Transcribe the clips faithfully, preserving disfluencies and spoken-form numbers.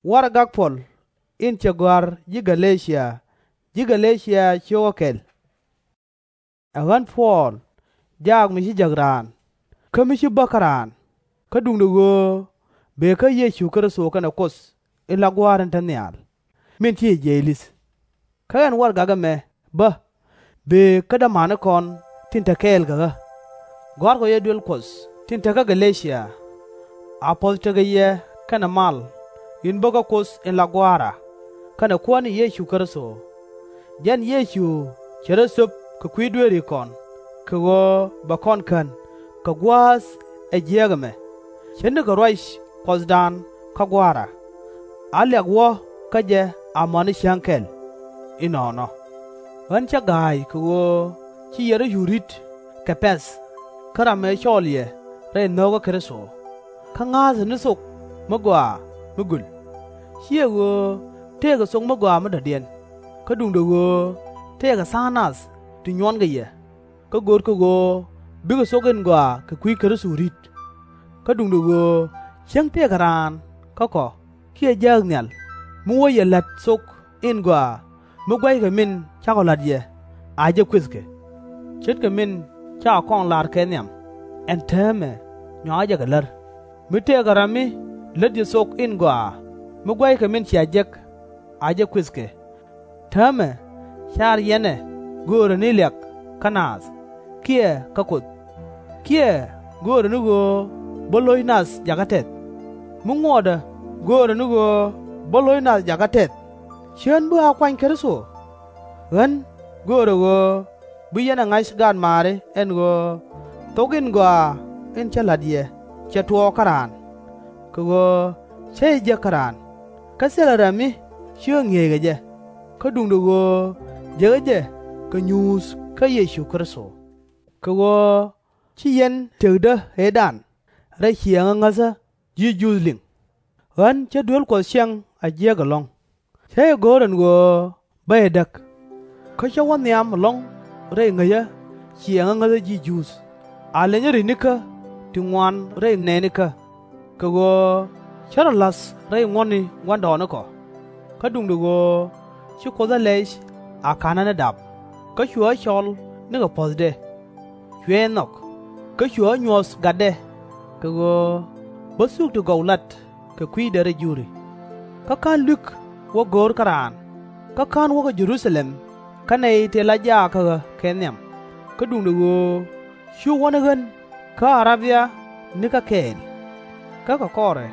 Warɛgak Puɔl in cɛ gɔ̱a̱r ji̱ Gɛ-lɛ-cia, ji̱ Gɛ-lɛ-cia cio̱kä kɛl. Ɛ ɣän Puɔl, jaak mi ci jäk raan, kä mi ci bä kä raan, kä duundɛ ɣöö bëë kä Yecu Kritho kɛnɛ Kuoth in la Gua̱a̱r in te nhial, min ci jiɛc li̱th. Kä ɛn warɛgak ɛmɛ bä bëë kä dämanikɔn tin te kɛɛl kɛ ɣä. Gɔ̱a̱rkɔ yɛ duel Kuɔth tin te kä Gɛ-lɛ-cia. A puɔ̱th tekɛ yɛ kɛnɛ mal in bä kä Kuoth in la Gua̱a̱ra kɛnɛ Kuäär ni Yecu Kritho. Jɛn Yecu cɛ rɔ thöp kɛ kui̱ dueerikɔn kɛ ɣöö bɛ kɔn kän kɛ gua̱a̱th ɛ jiääk ɛmɛ, ce̱tnikɛ ruac Kuɔthdan kä Gua̱a̱ra. A liak wä kä jɛ amäni cäŋ kɛl. Inɔnɔ ɣän cä ga̱a̱c kɛ ɣöö ci yɛ rɔ̱ yur ri̱t kɛ pɛ̈th kä ram ëë cɔɔl yɛ rɛy nhökä Kritho, kä ŋa̱a̱thä ni thok mi gɔaa mi göl. /Ciɛ ɣöö tëëkɛ thok mi gɔaa mi dɔ̱diɛn, kä duundɛ ɣöö tëëkɛ tha̱a̱ŋ nath ti nyuɔnkɛ yɛ, kä görkɛ ɣöö bikɛ thok in gɔaa kɛ kui̱ Kritho ri̱t. Kä duundɛ ɣöö cäŋ tëëkɛ raan kä kɔ kiɛ jääk nhial mi wä yɛ la̱t thok in gɔaa mi gua̱ckɛ min cakɔ la̱t yɛ, a jɛ kuëthkɛ. Ce̱tkɛ min cakɔ kɔŋ lar kɛ nhiam, ɛn täämɛ nyɔakɛ jɛ kɛ lär, mi tëëkɛ ram mi lät yɛ thok in gɔaa mi gua̱ckɛ min cia jek, a jɛ kuëthkɛ. Täämɛ car yɛn ɛ göörä ni liak kä naath kiɛ kä Kuoth, kiɛ göörä ni ɣöö bä lo̱c nath jakä tɛth? Mi ŋuɔtdä göörä ni ɣöö bä lo̱c nath jakä tɛth, /cä ɣän bi a kuany Kritho? Ɣän göörä ɣöö bi yɛn ɛ ŋa̱c gaatmaari ɛn ɣöö thok in gɔaa in cä la̱t yɛ cɛ tuɔɔk kä raan, kɛ ɣöö cä jɛ jek kä raan, kä thilɛ ram mi ci ɣä ŋi̱eec kɛ jɛ, kä duundɛ ɣöö jekɛ jɛ kɛ nyuuth kä Yecu Kritho. Kɛ ɣöö ci yɛn tëkdä ëëdan rɛy ciɛɛŋä ŋäthä ji̱ Juudh liŋ. Ɣän cä duel Kuɔth ciɛŋ a jiäk ɛlɔ̱ŋ, cä jɛ go̱o̱r ɛn ɣöö bä jɛ däk. Kä cä wä nhiam ɛlɔ̱ŋ rɛy ŋäcä ciɛɛŋä ŋäthä ji̱ Juudh, a lenyä ri̱nikä ti ŋuan rɛy nɛɛnikä, kɛ ɣöö cä rɔ la̱th rɛy ŋuɔ̱tni gua̱ndɔɔŋnikɔ. Kä duundɛ ɣöö ci Kuoth ɛ lɛc a ka̱nä ni dap, kä cuɛ ɣä cɔl nikɛ puɔ̱thdɛ. Cuɛ jɛ nhɔk, kä cuɛ ɣä nyuɔ̱th gatdɛ, kɛ ɣöö bä thuk ti gɔw lat kɛ kui̱dɛ rɛy juri. Kä /ka̱n lui̱k wä go̱r kä raan, kä /ka̱n wä kä Jɛ-ru-tha-lɛm kä nɛy tëë la jaak kä ɣä kɛ nhiam, kä duundɛ ɣöö cu wä ni ɣän kä A-rab-ya nikä kɛɛl. Kä kɛ kɔrɛ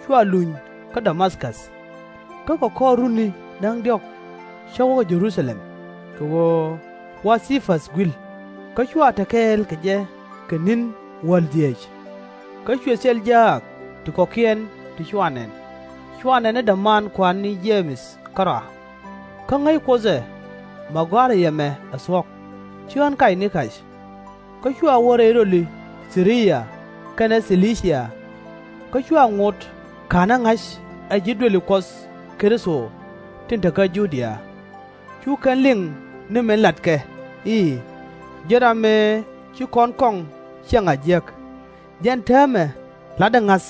cua luny kä Da-ma-käth. Kä kɛ kɔr runi da̱ŋ diɔ̱k cä wä kä Jɛ-ru-tha-lɛm, kɛ ɣöö wa Thi-päth gui̱l, kä cua te kɛɛl kɛ jɛ kɛ ni̱n wäl dhieec. Kä cuɛ thil jaak ti kɔ̱kiɛn ti cua nɛn, cua nɛn ni däman kua̱r ni Je-mɛth kärɔa. Kä ŋäc Kuoth ɛ, mɛ gɔ̱a̱rä yɛ mɛ ɛ thuɔ̱k, /ci ɣän kac ni kac. Kä cua wä rɛy röli Thi-ri-ya kɛnɛ Thi-li-cia, kä cua ŋot ka̱n ɣä ŋa̱c ɛ ji̱ duëli Kuɔth Kritho tin te kä Ju-dia. Cu kɛn liŋ ni min latkɛ i̱, ji̱n ram mëë ci kɔn kɔŋ ciɛŋ a jiäk. Jɛn täämɛ la̱tdä ŋa̱th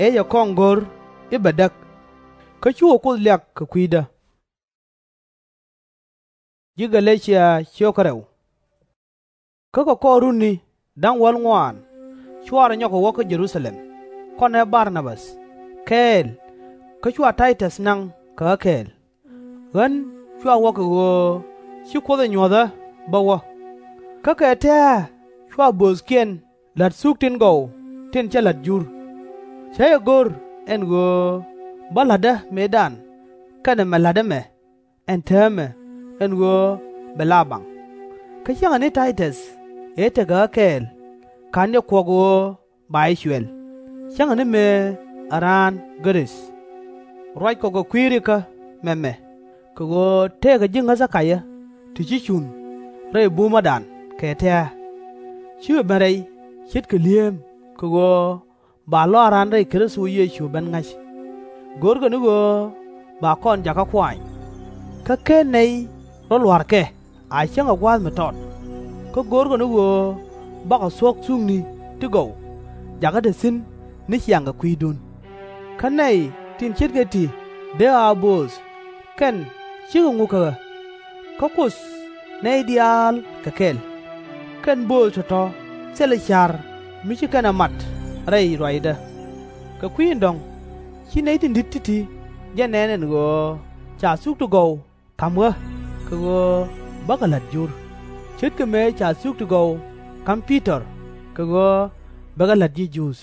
ëë cɛ kɔŋ go̱r i̱ bɛ däk. Kä cukɛ Kuoth liak kɛ kui̱dä. Kä kɛ kɔr runi da̱ŋ wäl ŋuan cua rɔ nyɔk kɛ wä kä Jɛ-ru-tha-lɛm kɔnɛ Bar-na-bäth kɛɛl, kä cua Tay-täth naŋ kɛ ɣä kɛɛl. Ɣän cua wä kɛ ɣöö ci Kuoth ɛ nyuɔ̱th ɣä bä wä. Kä kɛ tɛ̱̈ɛ̱̈ cua bööthkiɛn la̱t thuk tin gɔw tin cä la̱t jur. Cä jɛ go̱r ɛn ɣöö bä la̱tdä mëëdan kɛnɛ mɛ la̱t ɛmɛ ɛn täämɛ, ɛn ɣöö bɛ la baŋ. Kä cäŋɛ ni Tay-täth ëë tekɛ ɣä kɛɛl, ka̱n jɛ kuɔk ɣöö ba jɛ cuɛl, cäŋɛ ni mëë ɛ raan Gɛ-rith. Ruackɔ kɛ kui̱ rikä mɛmɛ, kɛ ɣöö tëëkɛ ji̱ ŋäthä kacä ti ci cun rɛy bumädan kɛ tɛ̱̈ɛ̱̈. Cikɛ ben rɛy ce̱tkɛ li̱eem kɛ ɣöö ba lɔaaran rɛy Kritho Yecu ben ŋa̱c. Görkɛ ni ɣöö ba kɔn jakä kuany. Kä /ken nɛy rɔ lua̱rkɛ a cäŋ ɛ gua̱a̱th mi tɔt. Kä görkɛ ni ɣöö bakɔ thuɔ̱k thukni ti gɔw jakä te thi̱n ni ciaŋ kɛ kui̱dun. Kä nɛy tin ce̱tkɛ ti dee a bööth, kɛn /cikɛ ŋuk kä ɣä. Kä Kuoth nɛy diaal kɛ kɛl. Kɛn bööth tɔ̱tɔ̱ thilɛ ca̱r mi ci kɛn ɛ mat rɛy ruacdä. Kɛ kui̱ in dɔ̱ŋ, ci nɛy tin di̱t ti̱ti̱ jɛ nɛn ɛn ɣöö ca thuk ti gɔw ka̱m ɣä kɛ ɣöö bäkɛ la̱t jur, ce̱tkɛ mëë ca thuk ti gɔw ka̱m Pi-tɔr kɛ ɣöö bɛ kɛ la̱t ji̱ Juudh.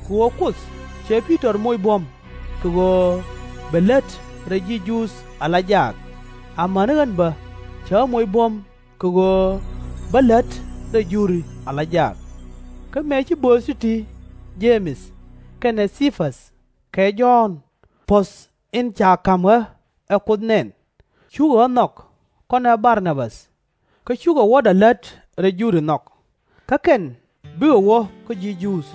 Kɛ ɣöö Kuoth cɛ Pi-tɔr moc buɔ̱m kɛ ɣöö bɛ lät rɛy ji̱ Juudh ala jak, amäni ɣän bä cɛ ɣä moc buɔ̱m kɛ ɣöö bä lät rɛy juri ala jak. Kä mëë ci bööth ti̱ti̱, Je-mɛth kɛnɛ Cɛ-päth kɛ Jɔ̱ɔ̱n, puɔ̱th in ca ka̱m ɣä ɛ Kuoth nɛn, cukɛ ɣä nhɔk kɔnɛ Bar-na-bäth, kä cukɛ wuɔ̱tdä lät rɛy juri nhɔk, kä kɛn bikɛ wä kä ji̱ Juudh.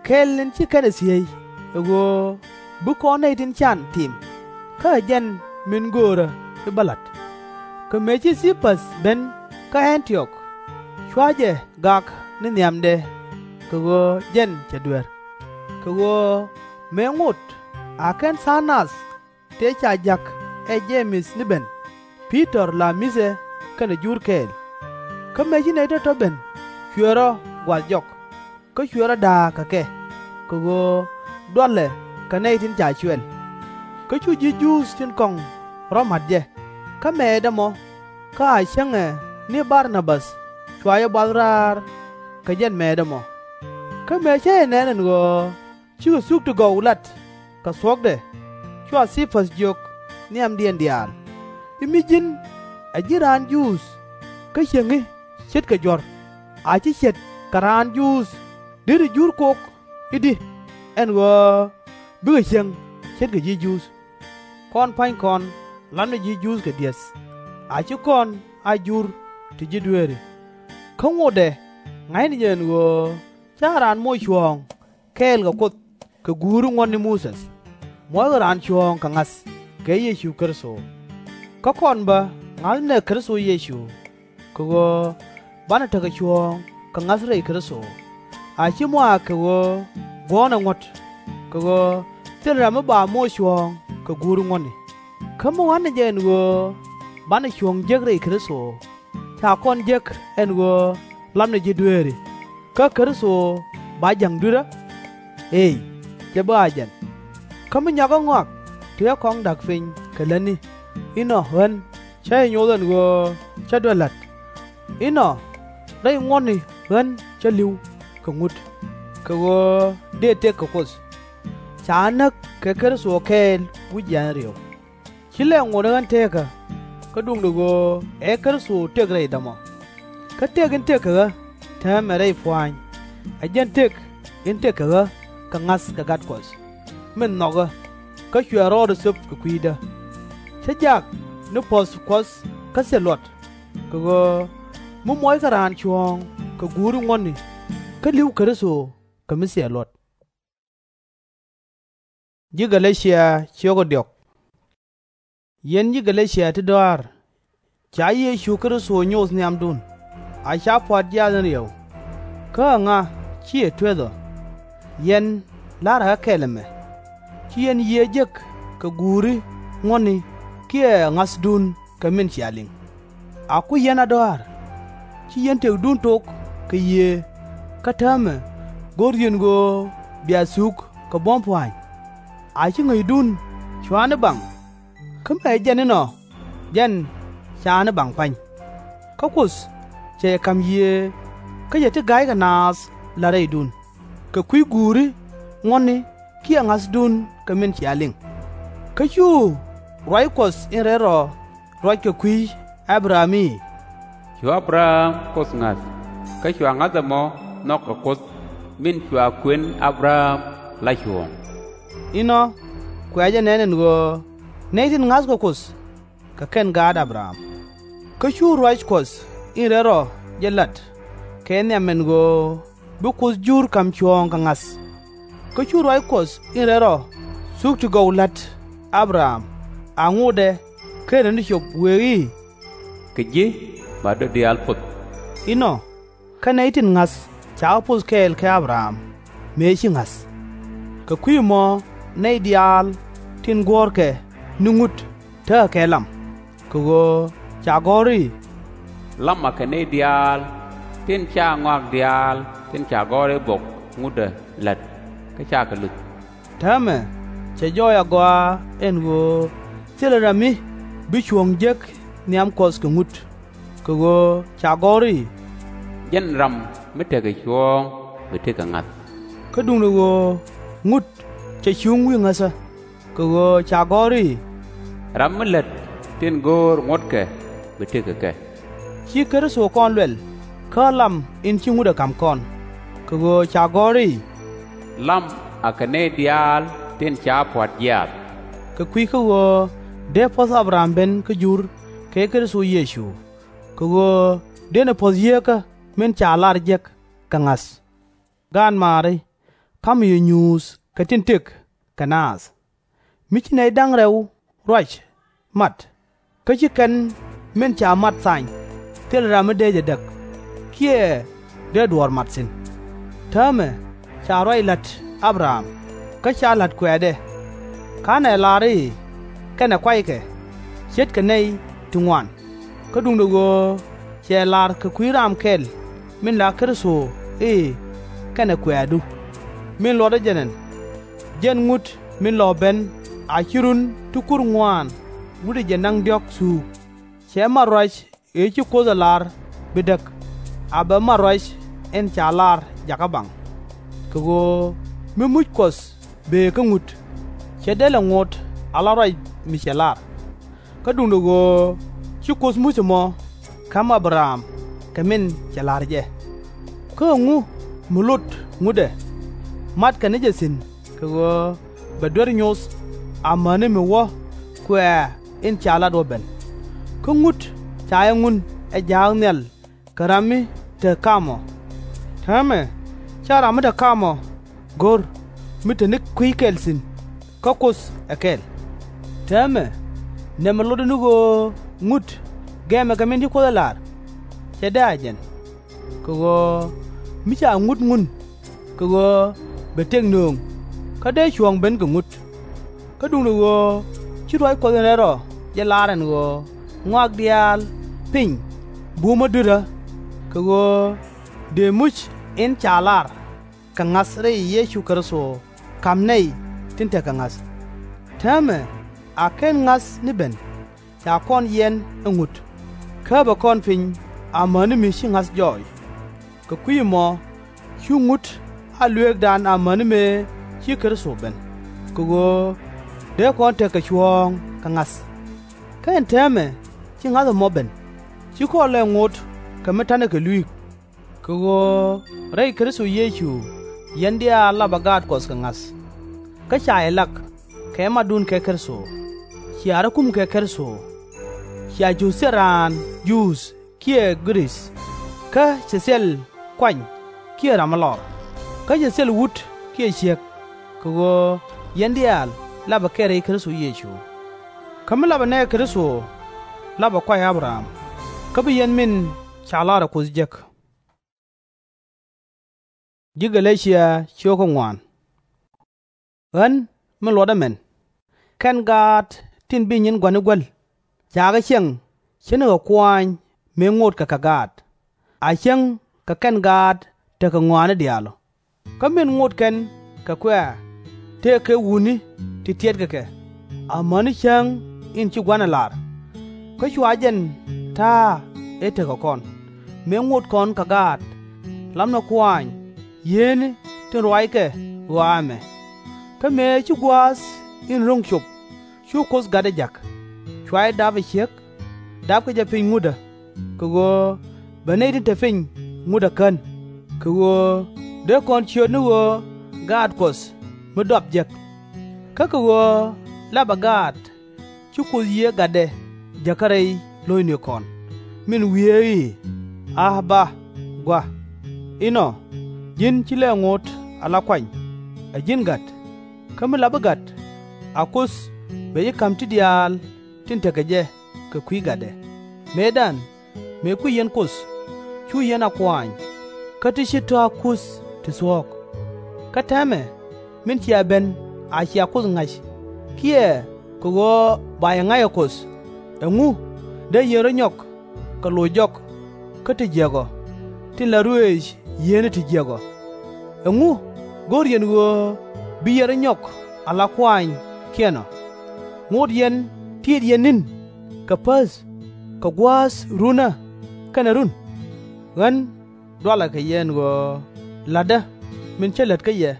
Kɛl in ci kɛn ɛ thiec ɛ ɣöö bi kɔn nɛy tin can tim, kä ɛ jɛn min göörä i̱ bä la̱t. Kä mëë ci Cɛ-päth ben kä Ɛn-ti-ɔk, cua jɛ gak ni nhiamdɛ kɛ ɣöö jɛn cɛ duer. Kɛ ɣöö mëë ŋot a kɛn tha̱a̱ŋ nath tëë ca ja̱k ɛ Je-mɛth ni ben, Pi-tɔr la mi̱thɛ kɛnɛ jur kɛɛl. Kä mëë ci nɛy tɔ̱tɔ̱ ben, cuɛ rɔ gua̱th jɔk, kä cuɛ rɔ da̱a̱k kɛ kɛ, kɛ ɣöö dualɛ kɛ nɛy tin ca cuɛl. Kä cu ji̱ Juudh tin kɔ̱ŋ rɔ̱ ma̱t jɛ, kä mɛɛtdɛ mɔ, kä a cäŋɛ ni Bar-na-bäth cua jɛ buath raar kɛ jɛn mɛɛtdɛ mɔ. Kä mëë cä jɛ nɛn ɛn ɣöö cikɛ thuk ti gɔw lat kɛ thuɔ̱kdɛ, cua Cɛ-päth jiök nhiamdiɛn diaal i̱, Mi ji̱n ɛ ji̱n raan Juudh, kä cieŋ ce̱tkɛ juɔ̱r, a /ci ce̱t kɛ raan Juudh deri jur kok i̱di, ɛn ɣöö bikɛ cieŋ ce̱tkɛ ji̱ Juudh? Kɔn pua̱nykɔn lapnɛ ji̱ Juudh kɛ di̱eth, a /ci kɔn a jur ti ji̱ dueeri. Kä ŋotdɛ ŋa̱cnɛ jɛ ɛn ɣöö /ca raan moc cuɔ̱ɔ̱ŋ kɛɛl kɛ Kuoth kɛ guuri ŋuɔ̱tni Muthɛ, muɔckɛ raan cuɔ̱ɔ̱ŋ kɛ ŋa̱th kɛ Yecu Kritho. Kä kɔn bä ŋa̱thnɛ Kritho Yecu, kɛ ɣöö banɛ tekɛ cuɔ̱ɔ̱ŋ kɛ ŋa̱th rɛy Kritho, a /ci mɔ a kɛ ɣöö guɔ̱ɔ̱nɛ ŋuɔ̱t, kɛ ɣöö thilɛ ram mi ba moc cuɔ̱ɔ̱ŋ kɛ guuri ŋuɔ̱tni. Kä mi ŋa̱thnɛ jɛ ɛn ɣöö banɛ cuɔ̱ɔ̱ŋ jek rɛy Kritho, /ca kɔn jek ɛn ɣöö lapnɛ ji̱ dueeri, kä Kritho ba ja̱ŋ dui̱rä? Eey, /cɛ bi a jɛn. Kä mi nyɔakä ŋɔak tëë kɔŋ da̱k piny kɛ lätni, inɔ ɣän cä jɛ nyoth ɛn ɣöö cä duer la̱t. Inɔ rɛy ŋuɔ̱tni ɣän cä li̱w kɛ ŋut, kɛ ɣöö dëë tëk kɛ Kuoth. Ca näk kɛ Kritho kɛɛl wi̱c yian riew. /Ci lɛ ŋot ni ɣän teekä, kä duundɛ ɣöö ɛ Kritho tëk rɛydä mɔ. Kä tëk in tëk kɛ ɣä täämɛ rɛy pua̱a̱ny, ɛ jɛn tëk in tëk kɛ ɣä kɛ ŋa̱th kɛ Gat Kuɔth, min nhɔk ɣä, kä cuɛ rɔɔdɛ thöp kɛ kui̱dä. Cä jak ni puɔ̱th Kuɔth kä thil luɔt, kɛ ɣöö mi muɔckɛ raan cuɔ̱ɔ̱ŋ kɛ guuri ŋuɔ̱tni, kä li̱w Kritho kɛ mi thil luɔt. Yɛn ji̱ Gä-lä-cia ti dɔa̱a̱r, ca Yecu Kritho nyoth nhiamdun, a /ca pua̱t jiath in riɛw. Kä ɛŋa ci yɛ tueth ɔ? Yɛn la̱rä ɣä kɛl ɛmɛ, ci yɛn yiëë jek kɛ guuri ŋuɔ̱tni kiɛ ŋa̱thdun kɛ min cia liŋ. A ku yɛn a dɔa̱a̱r, ci yɛn tëkdun tok kɛ yiëë, kä täämɛ go̱r yɛn ɣöö bia thuk kɛ buɔ̱m pua̱a̱ny. A /ci ŋäcdun cua̱ ni baŋ, kä mëë jɛn inɔ jɛn /ca ni baŋ pa̱ny. Kä Kuoth cɛ jɛ ka̱m yiëë, kä cɛ ti ga̱ykɛ naath la̱t rɛydun, kɛ kui̱ guuri ŋuɔ̱tni kiɛ ŋa̱thdun kɛ min cia liŋ. Kä cu ruac Kuɔth in rɛl rɔ ruac kɛ kui̱ A-bɛ-ram i̱, Cu A-bɛ-ram Kuoth ŋa̱th, kä cua ŋa̱th ɛmɔ nhɔk kɛ Kuoth, min cua kuën A-bɛ-ram la cuɔ̱ɔ̱ŋ. Inɔ kuɛ jɛ nɛn ɛn ɣöö nɛy tin ŋa̱thkɛ Kuoth, kɛ kɛn gaat A-bɛ-ram. Kä cu ruac Kuɔth in rɛl rɔ jɛ lat kɛ nhiam ɛn ɣöö bi Kuoth jur ka̱m cuɔ̱ɔ̱ŋ kɛ ŋa̱th. Kä cu ruac Kuɔth in rɛl rɔ thuk ti gɔw la̱t A-bɛ-ram, a ŋotdɛ /kenɛ ni cop wëë i̱, Kɛ ji̱ ba döt diaal poth. Inɔ kä nɛy tin ŋa̱th cakɛ poth kɛɛl kɛ A-bɛ-ram mëë ci ŋa̱th. Kɛ kui̱c ɛmɔ nɛy diaal tin guɔ̱ɔ̱rkɛ ni ŋut tekɛ kɛ lam, kɛ ɣöö ca gɔ̱r i̱, Lam akɛ nɛy diaal tin /ca ŋɔak diaal tin ca gɔ̱r i̱ bok ŋutdä la̱t kä /ca kɛ luth. Täämɛ cɛ jɔɔc agɔaa ɛn ɣöö thilɛ ram mi bi cuɔ̱ɔ̱ŋ jek nhiam Kuɔth kɛ ŋut, kɛ ɣöö ca gɔ̱r i̱, Jɛn ram mi tekɛ cuɔ̱ɔ̱ŋ bi tëk kɛ ŋa̱th. Kä duundɛ ɣöö ŋut cɛ cuŋ wi̱i̱ ŋäthä, kɛ ɣöö ca gɔ̱r i̱, Ram mi lät tin go̱o̱r ŋuɔ̱tkɛ bi tëk kɛ kɛ. Ci Kritho kɔn luɛl kä lam in ci ŋut ɛ ka̱m kɔn, kɛ ɣöö ca gɔ̱r i̱, Lam akɛ nɛy diaal tin ca pua̱t jiaath. Kɛ kui̱ kä ɣöö dee puɔ̱th A-bɛ-ram ben kä Jur kɛ Kritho Yecu, kɛ ɣöö dënɛ puɔ̱th yieekä min ca lar jek kɛ ŋa̱th. Gaatmaari, ka̱mɛ yɛ nyuuth kɛ tin tëk kɛ naath, mi ci nɛy da̱ŋ rɛw ruac mat, kä ci kɛn min ca mat thany. Thilɛ ram mi dee jɛ däk, kiɛ dee duɔ̱ɔ̱r mat thi̱n. Täämɛ ca ruac la̱t A-bɛ-ram, kä /ca la̱t kuɛ̈ɛ̈dɛ. /Ka̱nɛ lar i̱, Kɛnɛ kuaykɛ, ce̱tkɛ nɛy ti ŋuan. Kä duundɛ ɣöö cɛ lar kɛ kui̱ raam kɛl min la Kritho i̱, Kɛnɛ kuɛ̈ɛ̈du, min luɔtdä jɛ nɛn. Jɛn ŋut min lɔ ben a /ci run ti kur ŋuaan wutdɛ jɛ naŋ diɔ̱k thuuk. Cɛ mat ruac ëë ci Kuoth ɛ lar bi däk, a bɛ mat ruac in ca lar jakä baŋ. Kɛ ɣöö mi muc Kuɔth bëë kä ŋut, /cɛ dee lɛ ŋot ala ruac mi cɛ lar. Kä duundɛ ɣöö ci Kuoth muc ɛmɔ ka̱m A-bɛ-ram kɛ min cɛ la̱r jɛ. Kä ɛŋu mi lot ŋutdɛ? Matkɛ ni jɛ thi̱n kɛ ɣöö bɛ duer nyoth amäni mi wä kuɛ̈ɛ̈ in ca lat wä ben. Kä ŋut ca jɛ ŋun ɛ ja̱a̱k nhial kɛ ram mi te ka̱mɔ. Täämɛ /ca ram mi te ka̱mɔ go̱r mi te ni kui̱ kɛl thi̱n, kä Kuoth ɛ kɛl. Täämɛ nɛmɛ lotdɛ ni ɣöö ŋut gɛmɛ kɛ min ci Kuoth ɛ lar? /Cɛ dee a jɛn. Kɛ ɣöö mi ca ŋut ŋun, kɛ ɣöö bɛ tëk nööŋ, kä dee cuɔ̱ɔ̱ŋ ben kɛ ŋut. Kä duundɛ ɣöö ci ruac Kuɔth in rɛl rɔ jɛ lar ɛn ɣöö ŋɔak diaal piny bumä dui̱rä, kɛ ɣöö dëë muc in ca lar kɛ ŋa̱th rɛy Yecu Kritho ka̱m nɛy tin tekɛ ŋa̱th. Täämɛ a /ken ŋa̱th ni ben, ca kɔn yiɛn ɛ ŋut, käpɛ kɔn piny amäni mi ci ŋa̱th jɔɔc. Kɛ kui̱ ɛmɔ cu ŋut a luëëkdan amäni mëë ci Kritho ben, kɛ ɣöö dee kɔn tekɛ cuɔ̱ɔ̱ŋ kɛ ŋa̱th. Kä ɛn täämɛ ci ŋa̱th ɛmɔ ben, ci kɔn lɛ ŋot kɛ mi ta̱nɛ kɛ lui̱i̱k. Kɛ ɣöö rɛy Kritho Yecu yɛn diaal lapɛ gaat Kuɔth kɛ ŋa̱th. Kä ca yɛ lak kɛ matdun kɛ Kritho, cia rɔ̱ kum kɛ Kritho. Cia jiöth thil raan Juudh kiɛ Gɛ-rith, kä cɛ thil kuany kiɛ ram mi lɔr, kä cɛ thil wut kiɛ ciek, kɛ ɣöö yɛn diaal lapɛ kɛ rɛy Kritho Yecu. Kä mi lapɛ nɛɛkɛ Kritho, lapɛ kuay A-bɛ-ram, kä bi yɛn min ca lar ɛ Kuoth jek. Ɣän min luɔtdä mɛn, kɛn gaat tin bi nyin gua̱ni guäl, cakɛ ciɛŋ ce̱tnikɛ kuaany mëë ŋotkɛ kɛ gaat, a cäŋ kɛ kɛn gaat tekɛ ŋɔaani diaal ɔ. Kä min ŋot kɛn kɛ kuɛ̈ɛ̈ tëëkɛ wutni ti tiɛtkɛ kɛ, amäni cäŋ in ci Gua̱n ɛ lar. Kä cua jɛn ta̱a̱ ëë tekɛ kɔn, mëë ŋot kɔn kɛ gaat, lapnɛ kuaany yiëëni tin ruackɛ ɣɔaa ɛmɛ. Kä mëë ci gua̱a̱th in ro̱ŋ cop, cu Kuoth Gatdɛ ja̱k, cua jɛ dap ɛ ciek, dapkɛ jɛ piny ŋutdä, kɛ ɣöö bɛ nɛy tin te piny ŋutdä kän, kɛ ɣöö dee kɔn ciöt ni ɣöö gaat Kuɔth mi dɔp jek. Kä kɛ ɣöö lapɛ gaat, ci Kuoth Yiëë Gatdɛ jäkä rɛy lo̱cnikɔn, min wieekä i̱, A-ba, Gua̱! Inɔ, ji̱n ci lɛ ŋot ala kuany, ɛ ji̱n Gat. Kä mi lapä Gat, a Kuoth bɛ ji̱ ka̱m ti diaal tin tekɛ jɛ kɛ kui̱ Gatdɛ. Mëëdan, mëë kui̱c yɛn Kuoth, cu yɛn a kuaany, kä ti /ci tɔ̱ a kuth ti thuɔ̱k. Kä täämɛ, min cia ben a cia Kuoth ŋa̱c, kiɛ kɛ ɣöö ba yɛ ŋa̱c ɛ Kuoth, ɛŋu dee yɛn rɔ̱ nyɔk kɛ loc jɔk kä ti jiäk ɔ, tin la ruëëc yieenä ti jiäk ɔ? Ɛŋu go̱r yɛn ɣöö bi yɛn rɔ̱ nyɔk ala kuaanykiɛn ɔ? Ŋot yɛn tiit yɛn ni̱n kɛ päth kɛ gua̱a̱th runä kɛnɛ run? Ɣän dualɛ kɛ yɛ ɛn ɣöö la̱tdä min cä lät kä yɛ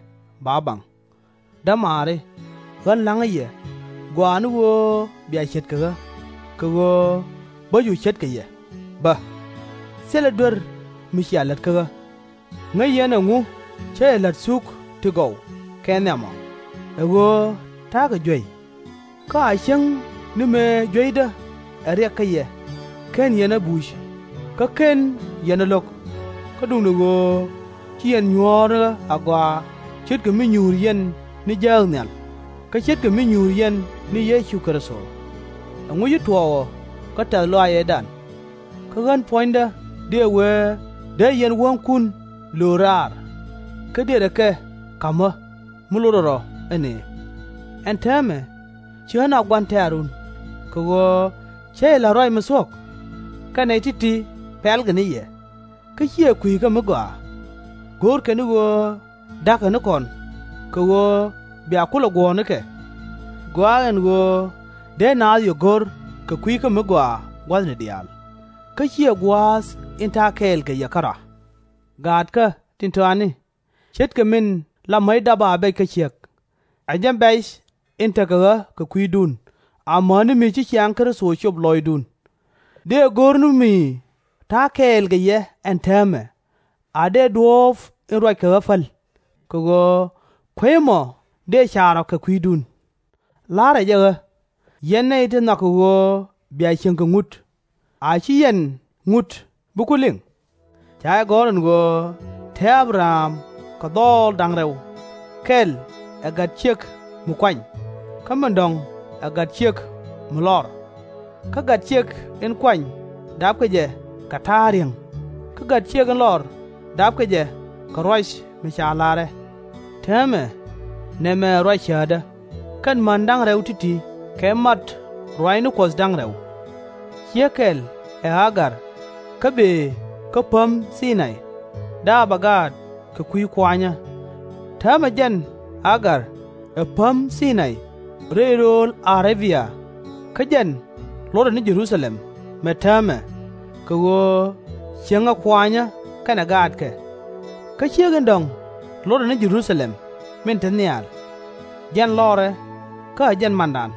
ba baŋ. Dämaari, ɣän la̱ŋä yɛ gɔaa ni ɣöö bia ce̱tkɛ ɣä, kɛ ɣöö bä cu ce̱tkɛ yɛ. Bä, thilɛ duer mi cia lät kä ɣä. Ŋäc yɛn ɛŋu cä yɛ la̱t thuk ti gɔw kɛ nhiam ɔ, ɛ ɣöö ta̱a̱ kɛ juey. Kä a cäŋ ni mëë jueydä ɛ riɛk kä yɛ, /ken yɛn ɛ buc, kä /ken yɛn ɛ lo̱k. Kä duundɛ ɣöö ci yɛn nyuɔ̱ɔ̱r ɣä agɔaa, ce̱tkɛ mi nyuur yɛn ni jääk nhial, kä ce̱tkɛ mi nyuur yɛn ni Yecu Kritho. Ɛŋu ci tuɔɔk ɔ kä tɛ̈th lɔaac ëëdan? Kä ɣän puɔ̱nydä dëë wee dee yɛn wäŋkun löör raar, kä dëërɛ kɛ ka̱mä mi lotdɛ rɔ ɛ nëë. Ɛn täämɛ, ci ɣän a gua̱n tɛ̈run, kɛ ɣöö cä yɛ la̱t ruac mi thuɔ̱k? Kɛn nɛy ti̱ti̱ pɛ̈lkɛ ni yɛ, kä /ciɛ kui̱ kä mi gɔaa. Go̱o̱rkɛ ni ɣöö da̱kkɛ ni kɔn, kɛ ɣöö bia kulɛ guɔ̱ɔ̱r nikɛ. Gɔaa ɛn ɣöö dee naath yɛ go̱r kɛ kui̱ kä mi gɔaa gua̱thni diaal, kä /ciɛ gua̱a̱th in ta̱a̱ kɛɛl kɛ yɛ kärɔa. Gaatkä tin tɔatni, ce̱tkɛ min la mäc dap a bɛc kä ciek, ɛ jɛn bɛc in tekɛ ɣä kɛ kui̱dun, amäni mi ci ciaŋ Kritho cop lɔcdun. Dëë go̱r ni mi ta̱a̱ kɛɛl kɛ yɛ ɛn täämɛ, a dëë duɔ̱ɔ̱p in ruac kɛ ɣä päl, kɛ ɣöö kueec ɛmɔ dëë car ɔ kɛ kui̱dun. La̱rɛ jɛ ɣä, yɛn nɛy ti nhɔakɛ ɣöö bia cieŋ kɛ ŋut, a /ci yɛn ŋut bi ku liŋ? Ca jɛ gɔ̱r ɛn ɣöö te Abraham kɛ dhɔɔl da̱ŋ rɛw, kɛl ɛ gat ciek mi kuany, kä min dɔ̱ŋ ɛ gat ciek mi lɔr. Kä gat ciek in kuany dapkɛ jɛ kɛ ta̱a̱ riäŋ, kä gat ciek in lɔr dapkɛ jɛ kɛ ruac mi ca la̱rɛ. Täämɛ, nɛmɛ ɛ ruac cäätdä, kɛn män da̱ŋ rɛw ti̱ti̱ kɛ mat ruaacni Kuɔth da̱ŋ rɛw. Ciek kɛl ɛ Agar, kä bëë kä päm Thinay, dapɛ gaat kɛ kui̱ kuanyä. Täämɛ jɛn Agar ɛ päm Thinay rɛy rööl A-rä-bia, kä jɛn lotdɛ ni Jɛ-ru-tha-lɛm mɛ täämɛ, kɛ ɣöö cieŋɛ kuanyä kɛnɛ gaatkɛ. Kä ciek in dɔ̱ŋ lotdɛ ni Jɛ-ru-tha-lɛm min te nhial, jɛn lɔrɛ, kä ɛ jɛn mandan.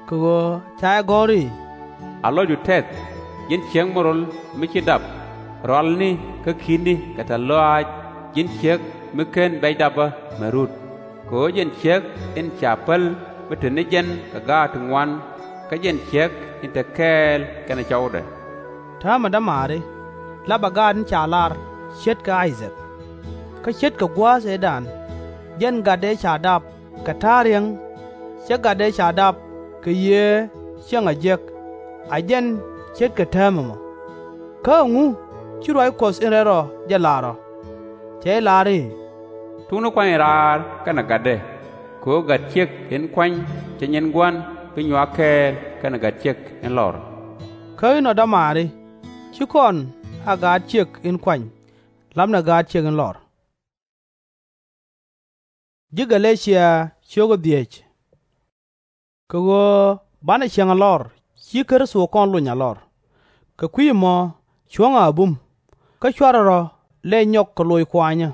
Kɛ ɣöö ca jɛ gɔ̱r i̱, A lɔcdu tɛth, ji̱n ciek mi rol mi ci dap, rualni kä ki̱tni kɛ tɛ̈th lɔaac, ji̱n ciek mi /ken bɛc dapä mɛ rut. Kɛ ɣöö jɛn ciek in ca päl mi te ni jɛn kɛ gaat ti ŋuan, kä jɛn ciek in te kɛɛl kɛnɛ cɔwdɛ. Täämɛ dämaari, lapɛ gaat in ca lar ce̱tkɛ I-thak. Kä ce̱tkɛ gua̱a̱th ëëdan, jɛn gat ëë ca dap kɛ ta̱a̱ riäŋ, /cɛ gat ëë ca dap kɛ Yiëë Cäŋ a Jiäk, a jɛn ce̱tkɛ täämɛ mɔ. Kä ɛŋu ci ruac Kuɔth in rɛl rɔ jɛ lar ɔ? Cɛ jɛ lar i̱, Thukni kuany raar kɛnɛ gatdɛ, kɛ ɣöö gat ciek in kuany /cɛ nyin gua̱n bi nyuak kɛɛl kɛnɛ gat ciek in lɔr. Kä inɔ dämaari, /ci kɔn a gaat ciek in kuany, lapnɛ gaat ciek in lɔr. Kɛ ɣöö banɛ cieŋ a lɔr, ci Kritho kɔn lony a lɔr. Kɛ kui̱ ɛmɔ cuɔ̱ŋɛ a bum, kä /cuarɛ rɔ lɛy nyɔk kɛ loc kuanyä.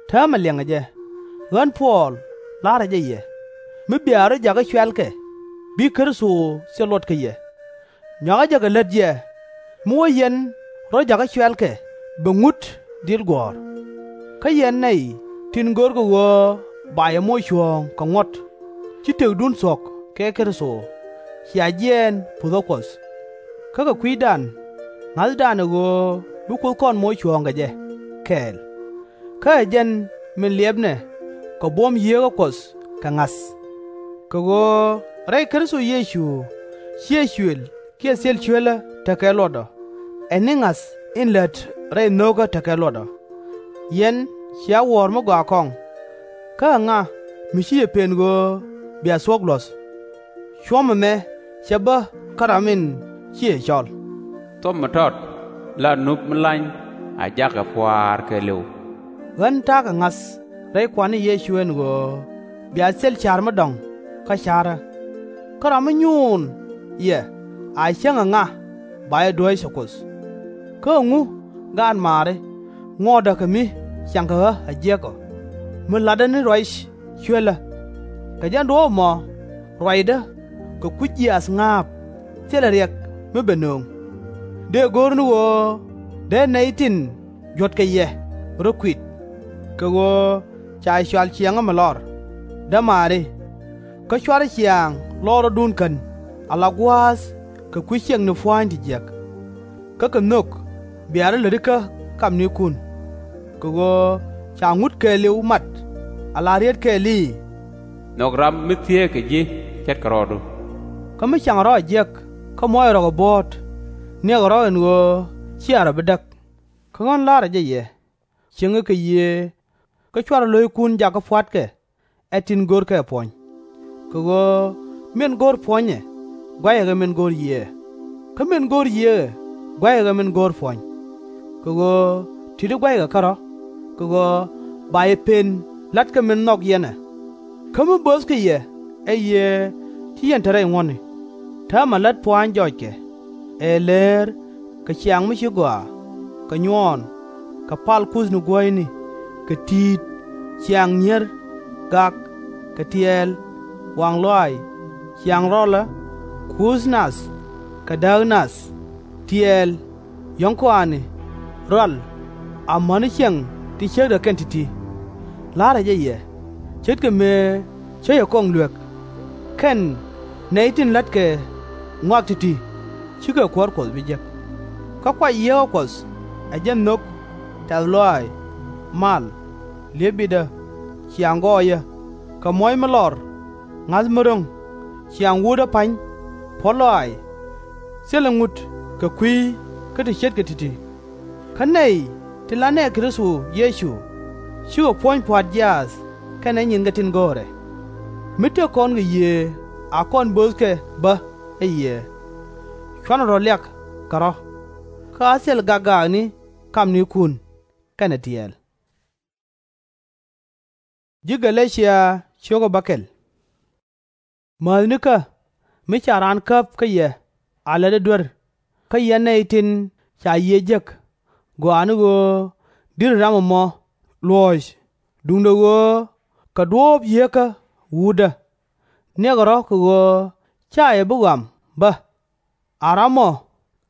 Täämɛ liɛŋɛ jɛ. Ɣän Puɔl la̱rä jɛ yɛ, mi bia rɔ̱ jakä cuɛ̈lkɛ, bi Kritho thil luɔt kä yɛ. Nyɔakä jɛ kɛ lät jɛ, mi wä yɛn rɔ̱ jakä cuɛ̈lkɛ bɛ ŋut dhil guɔ̱ɔ̱r. Kä yɛn nɛy tin görkɛ ɣöö ba yɛ moc cuɔ̱ɔ̱ŋ kɛ ŋuɔ̱t, ci tëkdun thuɔ̱k kɛ Kritho, cia jiɛɛn puthä Kuɔth. Kä kɛ kui̱dan, ŋa̱thdan ɛ ɣöö bi Kuoth kɔn moc cuɔ̱ɔ̱ŋ kɛ jɛ kɛɛl. Kä ɛ jɛn min liɛpnɛ kɛ buɔ̱m Yieekä Kuɔth kɛ ŋa̱th. Kɛ ɣöö rɛy Kritho Yecu /ciɛ cuël kiɛ thil cuelä tekɛ luɔt ɔ, ɛ ni ŋa̱th in lät rɛy nho̱kä tekɛ luɔt ɔ. Yɛn cia wuɔ̱ɔ̱r mi gɔaa kɔŋ. Kä ɛŋa mi ci yɛ pen ɣöö bia thuɔ̱k luɔ̱th? Cuɔ̱m ɛmɛ cɛ bä kä ram in ciɛ cɔl. Thuɔ̱m mi tɔt la nup mi lany a jakɛ pua̱a̱r kɛɛliw. Ɣän ta̱a̱ kɛ ŋa̱th rɛy Kua̱r ni Yecu ɛn ɣöö bia thil ca̱r mi dɔ̱ŋ kä ca̱rä. Kä ram mi nyuun yɛ a cäŋ ɛŋa ba jɛ duäc ɛ Kuoth? Kä ɛŋu gaat maari ŋuɔtdä kɛ mi ciaŋkɛ ɣä a jiäk ɔ, mi la̱tdä ni ruac cuelä? Kɛ jɛn duɔ̱ɔ̱p ɛmɔ ruacdä kɛ kui̱ jiaath ŋa̱a̱p thilɛ riɛk mi bɛ nööŋ. Dëë go̱r ni ɣöö dee nɛy tin juɔ̱tkɛ yɛ rɔ kui̱t, kɛ ɣöö ca cɔal ciɛŋä mi lɔr, dämaari, kä /cuarɛ ciaŋ lɔrɔdun kän ala gua̱a̱th kɛ kui̱ ciɛŋni pua̱a̱ny ti jiäk. Kä kɛ nhök bia rɔ̱ lätikä kamnikun, kɛ ɣöö ca ŋut kɛɛliw mat ala riet kɛɛl i̱, Nhɔk ram mi thieekɛ ji̱ ce̱tkɛ rɔɔdu. Kä mi cakɛ rɔ̱ a jiäk kä muɔcɛ rɔ̱ kɛ buɔ̱ɔ̱t, niɛkɛ rɔ̱ ɛn ɣöö /cia rɔ̱ bi däk. Kä ɣän la̱rä jɛ yɛ, cieŋɛ kɛ Yiëë, kä /cuarɛ lo̱ckun jakä pua̱tkɛ ɛ tin görkɛ puɔ̱ny. Kɛ ɣöö min go̱o̱r puɔ̱nyɛ gua̱cɛ kɛ min go̱o̱r Yiëë, kä min go̱o̱r Yiëë gua̱cɛ kɛ min go̱o̱r puɔ̱ny. Kɛ ɣöö ti̱ti̱ gua̱cɛ kɛ kärɔ̱, kɛ ɣöö ba yɛ pen la̱t kɛ min nhɔk yɛn ɛ. Kä mi böthkɛ yɛ ɛ Yiëë /ci yɛn te rɛy ŋuɔ̱tni. Täämɛ lät pua̱a̱ny jɔckɛ, ɛ leer, kɛ ciaŋ mi ci gɔaa, kɛ nyuɔɔn, kɛ pal kuthni guäyni, kɛ ti̱i̱t, ciaŋ nyier, gak, kɛ tiɛɛl, waŋ lɔaac, ciaŋ rɔlä, kuuth nath, kɛ dääk nath, tiɛɛl, yɔ̱ŋ kɔaani, rual, amäni ciɛŋ ti ciekdä kɛn ti̱ti̱. La̱rä jɛ yɛ, ce̱tkɛ mëë cä yɛ kɔŋ luek, kɛn nɛy tin la̱tkɛ ŋɔak ti̱ti̱, /cikɛ Kuäär Kuɔth bi jek. Kä kuay Yieekä Kuɔth, ɛ jɛn nhök, tɛ̈th lɔaac, mal, li̱ep bitdä, ciaŋ gɔɔyä, kɛ muɔ̱c mi lɔr, ŋa̱th mi ro̱ŋ, ciaŋ wutdä pa̱ny, puɔ̱t lɔaac, thilɛ ŋut kɛ kui̱ kä ti ce̱tkɛ ti̱ti̱. Kä nɛy tin la nɛɛk Kritho Yecu /cikɛ puɔ̱ny pua̱a̱t jiaath kɛnɛ nyinkɛ tin go̱o̱rɛ. Mi tëk kɔn kɛ Yiëë a kɔn böthkɛ bä ɛ Yiëë. /Cuarɛ rɔ̱ liak kɛ rɔ̱, kä a thil gak gaakni kamnikun kɛnɛ tiɛɛl. Mäthnikä, mi ca raan käp kä yɛ a lätdä duer, kä yɛn nɛy tin ca Yiëë jek, gɔaa ni ɣöö di̱tdɛ ram ɛmɔ luɔ̱ɔ̱c duundɛ ɣöö kɛ duɔ̱ɔ̱p Yieekä Wutdä. Niɛkɛ rɔ̱ kɛ ɣöö /ca yɛ bi ɣɔam bä. A ramɔ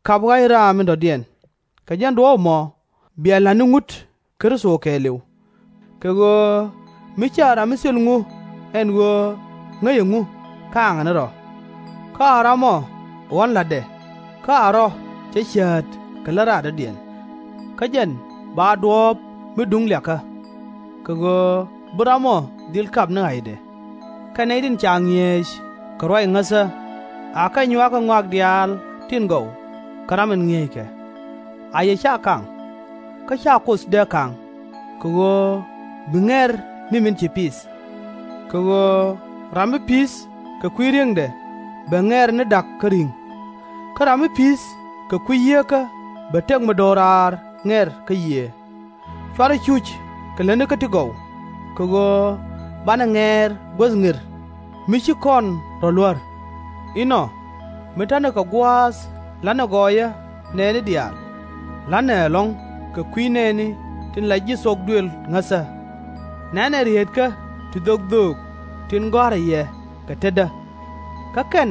kap ɣa̱c raam in dɔ̱diɛn, kɛ jɛn duɔ̱ɔ̱p ɛmɔ bia la̱t ni ŋut Kritho kɛɛliw. Kɛ ɣöö mi /ciɛ ram mi thil ŋu ɛn ɣöö ŋäc ɛŋu ka̱a̱ŋɛ ni rɔ̱. Kä a ramɔ ɣɔ̱n la̱tdɛ, kä a rɔ̱ cä cäät kɛ lät raar dɔ̱diɛn. Kä jɛn ba duɔ̱ɔ̱p mi duŋ liakä, kɛ ɣöö bi ramɔ dhil kap ni ɣa̱cdɛ. Kɛn nɛy tin ca ŋi̱eec kɛ ruac ŋäthä, akɛ nyuakä ŋɔak diaal tin gɔw kä ram in ŋi̱eeckɛ. A yɛ /ca kaŋ, kä /ca Kuoth dee ka̱ŋ, kɛ ɣöö bi ŋɛr ni min ci pi̱th. Kɛ ɣöö ram mi pi̱th kɛ kui̱ ri̱eŋdɛ bɛ ŋɛr ni da̱k kä ri̱ŋ, kä ram mi pi̱th kɛ kui̱ Yieekä bɛ tëk mi do̱raar ŋɛr kä Yiëë. /Cuarɛ cuc kɛ lätnikä ti gɔw, kɛ ɣöö banɛ ŋɛɛr guäth ŋir mi /ci kɔn rɔ̱ luär. Inɔ, mi ta̱nɛ kɛ gua̱a̱th la̱tnɛ gɔɔyä nɛɛni diaal, la̱tnɛ ɛlɔ̱ŋ kɛ kui̱ nɛɛni tin la ji̱ thok duël ŋäthä. Nɛnɛ rieetkä ti dhok dhöök tin gɔ̱a̱rä yɛ kɛ tetdä. Kä kɛn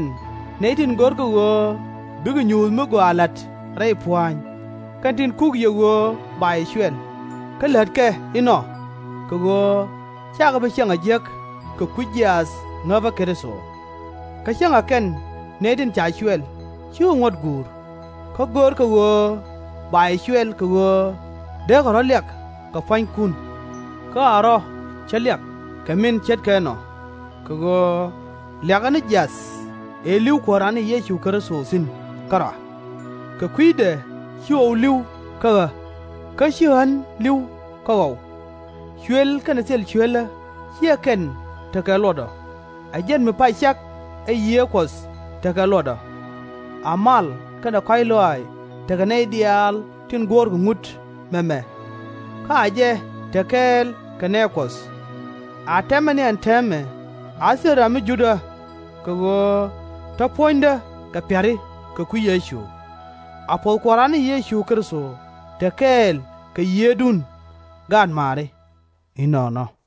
nɛy tin görkɛ ɣöö bikɛ nyuuth mi gɔaa la̱t rɛy pua̱a̱ny, kɛn tin kuk yɛ ɣöö ba yɛ cuɛl, kä lätkɛ inɔ, kɛ ɣöö /cakɛ bi cieŋ a jiäk kɛ kui̱ jiaath ŋäpä Kritho. Kä cäŋɛ kɛn nɛy tin ca cuɛl /cikɛ ŋuɔ̱t guur, kä görkɛ ɣöö ba yɛ cuɛl kɛ ɣöö deekɛ rɔ̱ liak kɛ pua̱nykun. Kä a rɔ̱ cä liak kɛ min ce̱tkɛ ɛnɔ, kɛ ɣöö liakɛ ni jiath ëë li̱w Kua̱ran ni Yecu Kritho thi̱n kärɔa. Kɛ kui̱dɛ /ci ɣɔw li̱w kä ɣä, kä /ci ɣän li̱w kä ɣɔw. Cuël kɛnɛ thil cuelä /ciɛ kɛn tekɛ luɔt ɔ, ɛ jɛn mi pac cak kä Yiëë Kuɔth tekɛ luɔt ɔ. A mal kɛnɛ kɔ̱a̱c lɔaac tekɛ nɛy diaal tin guɔ̱ɔ̱rkɛ ŋut mɛmɛ, kä a jɛ te kɛɛl kɛ nɛɛ Kuɔth. A tɛmɛ ni ɛn täämɛ, a thil ram mi jut ɣä, kɛ ɣöö te puɔ̱nydä kɛ pia̱ri kɛ kui̱ Yecu. A puɔ̱th Kua̱ran ni Yecu Kritho te kɛɛl kɛ Yiëëdun Gaat Maari. Inɔnɔ.